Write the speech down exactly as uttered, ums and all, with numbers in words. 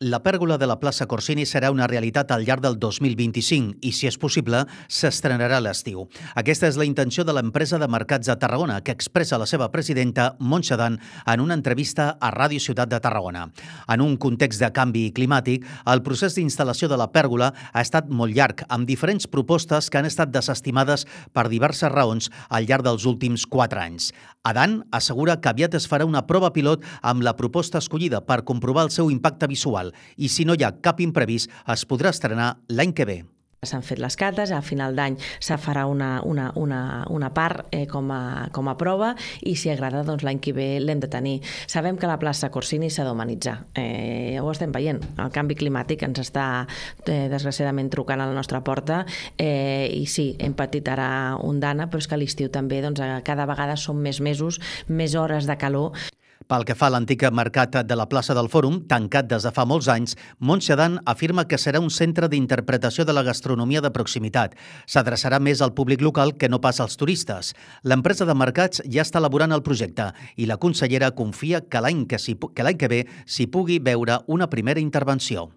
La pèrgola de la plaça Corsini serà una realitat al llarg del dos mil vint-i-cinc i, si és possible, s'estrenarà a l'estiu. Aquesta és la intenció de l'empresa de mercats de Tarragona, que expressa la seva presidenta, Montse Dan, en una entrevista a Ràdio Ciutat de Tarragona. En un context de canvi climàtic, el procés d'instal·lació de la pèrgola ha estat molt llarg, amb diferents propostes que han estat desestimades per diverses raons al llarg dels últims quatre anys. Adan assegura que aviat es farà una prova pilot amb la proposta escollida per comprovar el seu impacte visual i, si no hi ha cap imprevist, es podrà estrenar l'any que ve. S'han fet les cates, a final d'any se farà una, una, una, una part eh, com, a, com a prova i, si agrada, doncs l'any que ve l'hem de tenir. Sabem que la plaça Corsini s'ha d'humanitzar. Eh, ho estem veient. El canvi climàtic ens està, eh, desgraciadament, trucant a la nostra porta eh, i sí, hem patit ara ondana, però és que a l'estiu també doncs, cada vegada són més mesos, més hores de calor. Pel que fa a l'antic mercat de la plaça del Fòrum, tancat des de fa molts anys, Montse Dan afirma que serà un centre d'interpretació de la gastronomia de proximitat. S'adreçarà més al públic local que no pas als turistes. L'empresa de mercats ja està elaborant el projecte i la consellera confia que l'any que, que, l'any que ve s'hi pugui veure una primera intervenció.